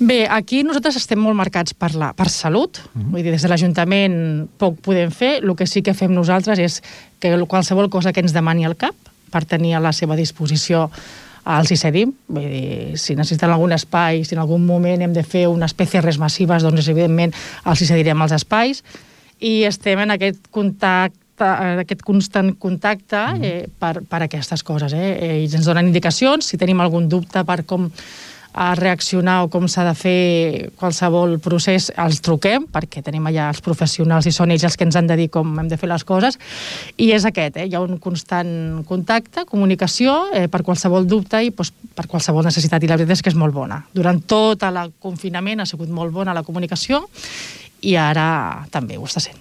Bé, aquí nosaltres estem molt marcats per salut, vull dir, des de l'Ajuntament poc podem fer, el que sí que fem nosaltres és que qualsevol cosa que ens demani el CAP per tenir a la seva disposició els hi cedim, vull dir, si necessiten algun espai, si en algun moment hem de fer unes PCRs massives, doncs evidentment els hi cedirem els espais, i estem en aquest constant contacte per aquestes coses. Ells ens donen indicacions, si tenim algun dubte per com reaccionar o com s'ha de fer qualsevol procés, els truquem, perquè tenim allà els professionals i són ells els que ens han de dir com hem de fer les coses, i és aquest, hi ha un constant contacte, comunicació, per qualsevol dubte i per qualsevol necessitat, i la veritat és que és molt bona. Durant tot el confinament ha sigut molt bona la comunicació i ara també ho està sent.